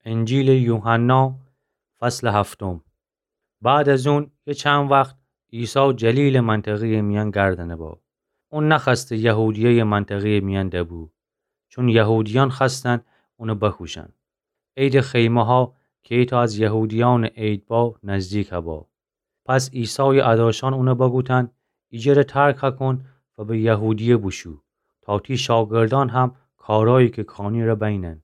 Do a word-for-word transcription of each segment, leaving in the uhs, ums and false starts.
انجیلٚ یوحنا، فصلٚ هفتم. بعد از اون یه چند وخت عیسی جلیلٚ منطقه‌یٚ میأن گردنه با. اون نخوأسته یهودیه‌یٚ منطقه‌یٚ میأن دبو، چون یهودیأن خوأستن اونه بکوشن. عیدٚ خیمه‌ها کی ایتأ از یهودیأنٚ عید با نزدیک با. پس عیسایٚ اداشأن اونه بگوتن: ایجره ترک کون و به یهودیه بوشو، تا تی شاگردأن هم کارأیی که کانی ره بینن.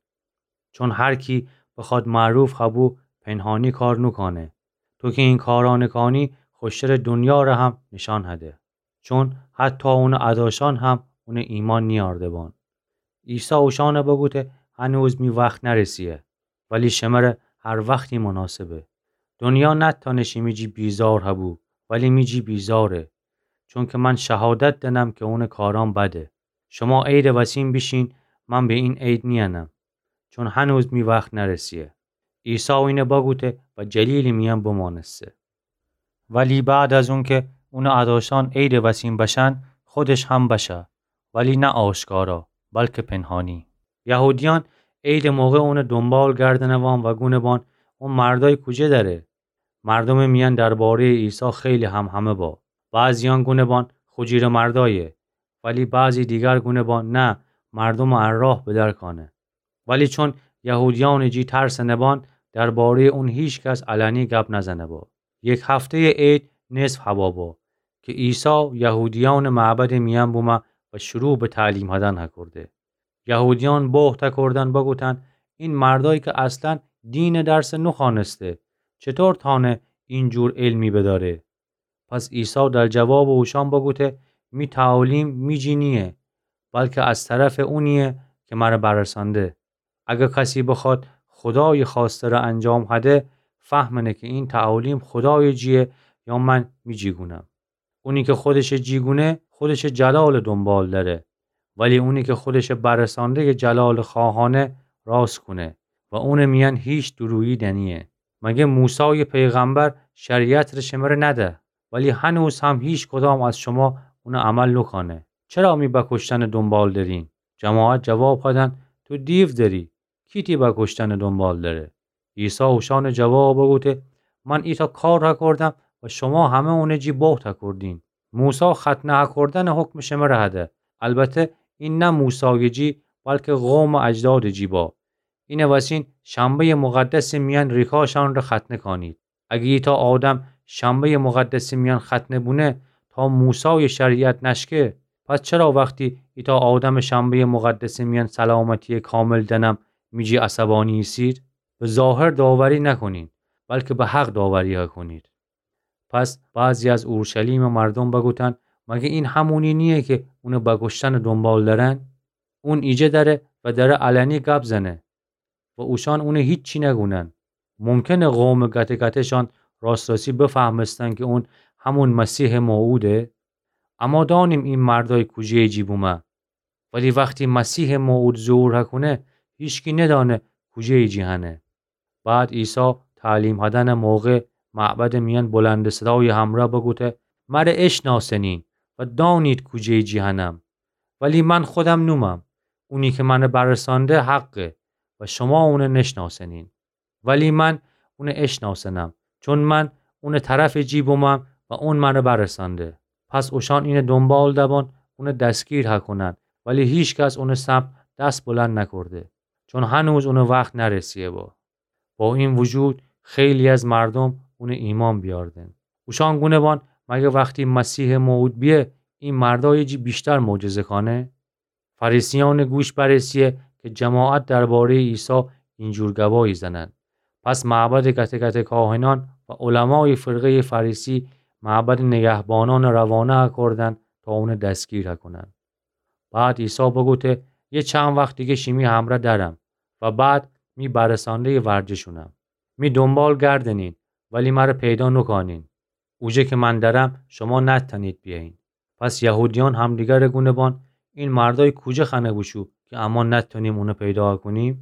چون هر کی بخوأد معروف خبو، پنهانی کار نوکأنه. تو کی این کارأنه کانی، خوشتره دونیا ره هم نشأن هده. چون حتی اونٚ اداشأن هم اونه ایمأن نیأرده بان. عیسی اوشأنه بگوته: هنوز می وخت نرسیه، ولی شمره هر وختی مناسبه. دونیا نتأنه شیمی جی بیزار هبو، ولی می جی بیزاره، چونکه من شهادت دأنم که اونٚ کارأن بده. شما عیدٚ وسیم بیشین، من به این عید نیأنم، چون هنوز می وخت نرسیه. عیسی اینه بگوته و جلیلٚ میأن بمانسته. ولی بعد از اونکه اونٚ اداشأن عیدٚ وسیم بشن، خودش هم بشه، ولی نه آشکارا، بلکه پنهانی. یهودیأن عیدٚ موقع اونٚ دونبال گردنه وان و گونه بان: اون مردأی کوجه دأره؟ مردومٚ میأن درباره‌یٚ عیسی خیلی همهمه با. بعضیأن گونه بان: خو جیرٚ مردأیه. ولی بعضی دیگر گونه بان: نه، مردومٚ ا راه بدر کأنه. ولی چون یهودیأنٚ جی ترسنه بان، درباره‌یٚ اون هیکس علنی گب نزنه با. یک هفته‌یٚ عید نصف هوا با که عیسی یهودیأنٚ معبدٚ میأن بومه و شروع به تعلیم هدن هکورده. یهودیأن بهت هکوردن بگوتن: این مردأیی که اصلا دینٚ درس نوخوأنسته، چطور تأنه اینجور علمی بدأره؟ پس عیسی در جوابٚ اوشأن بگوته: می تعالیم می جی نییه، بلکه از طرفٚ اونییه که مره برسأنده. اگر کسی بخوأد خودایٚ خوأسته ره انجام هده، فهمنه که این تعالیم خودایٚ جییه یا من می جی گونم. اونی که خودشٚ جی گونه، خودشٚ جلالٚ دونبال دأره، ولی اونی که خودشٚ برسأنده‌یٚ جلالٚ خواهأنه، راست کونه و اونٚ میأن هیچ دورویی دنییه. مگه موسایٚ پیغمبر شریعت ره شمره نده؟ ولی هنوز هم هیکدام از شما اونٚ عمل نوکأنه. چرا می بکشتنٚ دونبال درین؟ جماعت جواب هدن: تو دیو دری. کی تی بکشتنٚ دونبال دره؟ عیسی اوشأنٚ جواب بگوته: من ایتأ کار هکوردم و شما همه اونٚ جی بهت هکوردین. موسی ختنه هکوردنٚ حکم شمره هده. البته این نه موسایٚ جی، بلکه قومٚ اجدادٚ جی با. اینه وسین شنبه‌یٚ مقدسٚ میأن ریکاشأن ره ختنه کأنید. اگه ایتأ آدم شنبه‌یٚ مقدسٚ میأن ختنه بونه تا موسایٚ شریعت نشکه، پس چرا وختی ایتأ آدمٚ شنبه‌یٚ مقدسٚ میأن سلامتییٚ کامل دنم می جی عصبانی ایسید؟ به ظاهر داوری نکونین، بلکه به حق داوری هکونید. پس بعضی از اورشلیمٚ مردوم بگوتن: مگه این همونی نییه که اونٚ بکشتنٚ دونبال درن؟ اون ایجه دره و دره علنی گب زنه و اوشأن اونه هیچی نگونن. ممکنه قومٚ گته‌گته‌شأن راست‌راستی بفهمستن که اون همون مسیحٚ موعوده. اما دأنیم این مردأی کوجه‌یٚ جی بومه. ولی وختی مسیحٚ موعود ظهور هکونه، هیچکی ندأنه کوجه‌یٚ جی هنه. بعد عیسی تعلیم هدنٚ موقع معبدٚ میأن بلندٚ صدایٚ همرأ بگوته: مره اشناسنین و دأنید کوجه‌یٚ جی هنم. ولی من خودم نومم. اونی که مره برسأنده حقه و شما اونه نشناسنین. ولی من اونه اشناسنم، چون من اونٚ طرفٚ جی بومم و اون مره برسأنده. پس اوشأن اینٚ دونبال دبان اونه دستگیر هکونن، ولی هیکس اونٚ سمت دس بلند نکورده، چون هنوز اونٚ وخت نرسیه با. با این وجود خیلی از مردوم اونه ایمأن بیأردن. اوشأن گونه بان: مگه وختی مسیحٚ موعود بیه، این مردأیٚ جی ویشتر معجزه کأنه؟ فریسیأنٚ گوش برسیه که جماعت درباره‌یٚ عیسی اینجور گبایی زنن. پس معبدٚ گته‌گته کاهنأن و علمایٚ فرقه‌یٚ فریسی معبدٚ نگهبانأن روانه هکردن تا اونه دستگیر هکنن. بعد عیسی بگوته: یه چند وخت دیگه شیمی همرأ درم و بعد می برسأنده‌یٚ ورجه شونم. می دونبال گردنین، ولی مره پیدا نوکأنین. اوجه که من درم، شما نتأنید بیأیین. پس یهودیأن همدیگره گونه بان: این مردأی کوجه خأنه بوشو که اما نتأنیم اونه پیدا کونیم؟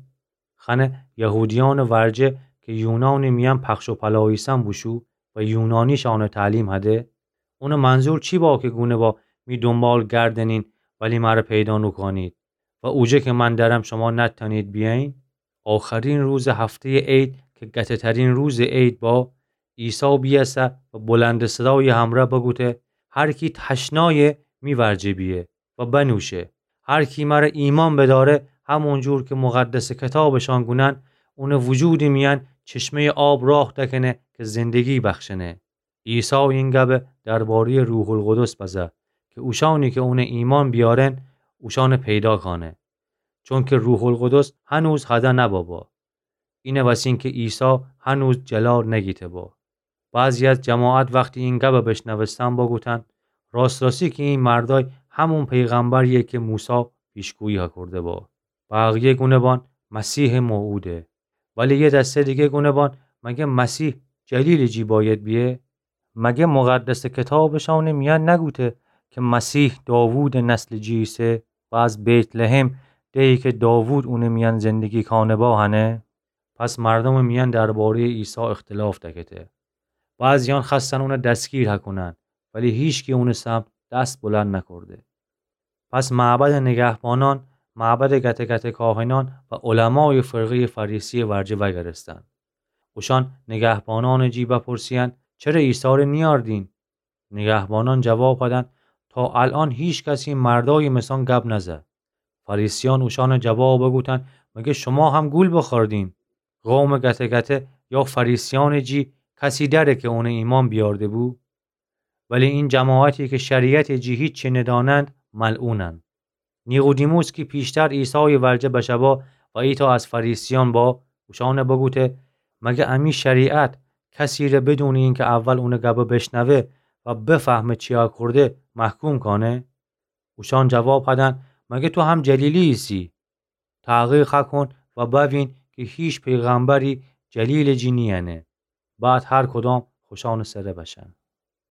خأنه یهودیأنٚ ورجه که یونانٚ میأن پخش و پلا ایسن بوشو و یونانیشأنه تعلیم هده؟ اونٚ منظور چی با که گونه با: می دونبال گردنین، ولی مره پیدا نوکأنید و اوجه که من درم، شما نتأنید بیأیین؟ آخرین روزٚ هفته‌یٚ عید کی گته‌ترین روزٚ عید با، عیسی بیأسه و بلندٚ صدایٚ همرأ بوگوته: هر کی تشنایه، می ورجه بیه و بنوشه. هر کی مرأ ایمأن بدأره، همون جور کی مقدسٚ کتابٚ شأن گونن، اونٚ وجودٚ میأن چشمه‌یٚ آب راه دکنه کی زندگی بخشنه. عیسی این گبه درباره‌یٚ روح‌القدس بزه کی اوشأنی کی اون ایمأن بیأرن، اوشأن پیدا کانه. چونکی روح‌القدس هنوز هده نبابا. اینه وسین کی عیسی هنوز جلال نگیته با. بعضی از جماعت وختی این گبه بشنوستن بوگوتن: راست‌راستی کی این مردأی همون پیغمبرییه کی موسی پیشگویی هکورده با. بقیه گونه بان: مسیحٚ موعوده. ولی یه دسته دیگه گونه بان: مگه مسیح جلیلٚ جی بأید بیه؟ مگه مقدسٚ کتابٚ شأنٚ میأن نگوته کی مسیح داوودٚ نسلٚ جی ایسه و از بیت‌لحم، دهی کی داوود اونٚ میأن زندگی کانه با هنه؟ پس مردومٚ میأن درباره‌یٚ عیسی اختلاف دکته. بعضیأن خوأستن اون دستگیر هکونن، ولی هیچکی اونٚ سمت دست بلند نکورده. پس معبدٚ نگهبانأن، معبدٚ گته‌گته‌کاهنأن و علمایٚ فرقه‌یٚ فریسییٚ ورجه وأگردستن. اوشأن نگهبانأنٚ جی بپرسیدن: چره عیسی ره نیأردین؟ نگهبانأن جواب هدن: تا الأن هیکس این مردأیٚ مسأن گب نزه. فریسیأن اوشأن جواب بوگوتن: مگه شوما هم گول بوخوردین؟ قومٚ گته‌گته یا فریسیأنٚ جی کسی دأره کی اون ایمأن بیأرده بو؟ ولی این جماعتی کی شریعتٚ جی هیچی ندأنند، ملعونند. نیقودیموس کی پیشتر عیسایٚ ورجه بشه با و ایتأ از فریسیأن با، اوشأن بوگوته: مگه امی شریعت کسی ره بدونٚ اینکی اول اونٚ گبه بشنوه و بفهمه چی کورده، محکوم کانه؟ اوشأن جواب هدن: مگه تو هم جلیلی ایسی؟ تحقیق هکون و بوین کی هیچ پیغمبری جلیلٚ جی نیأنه. بعد هر کدام خوشأنٚ سره بشن.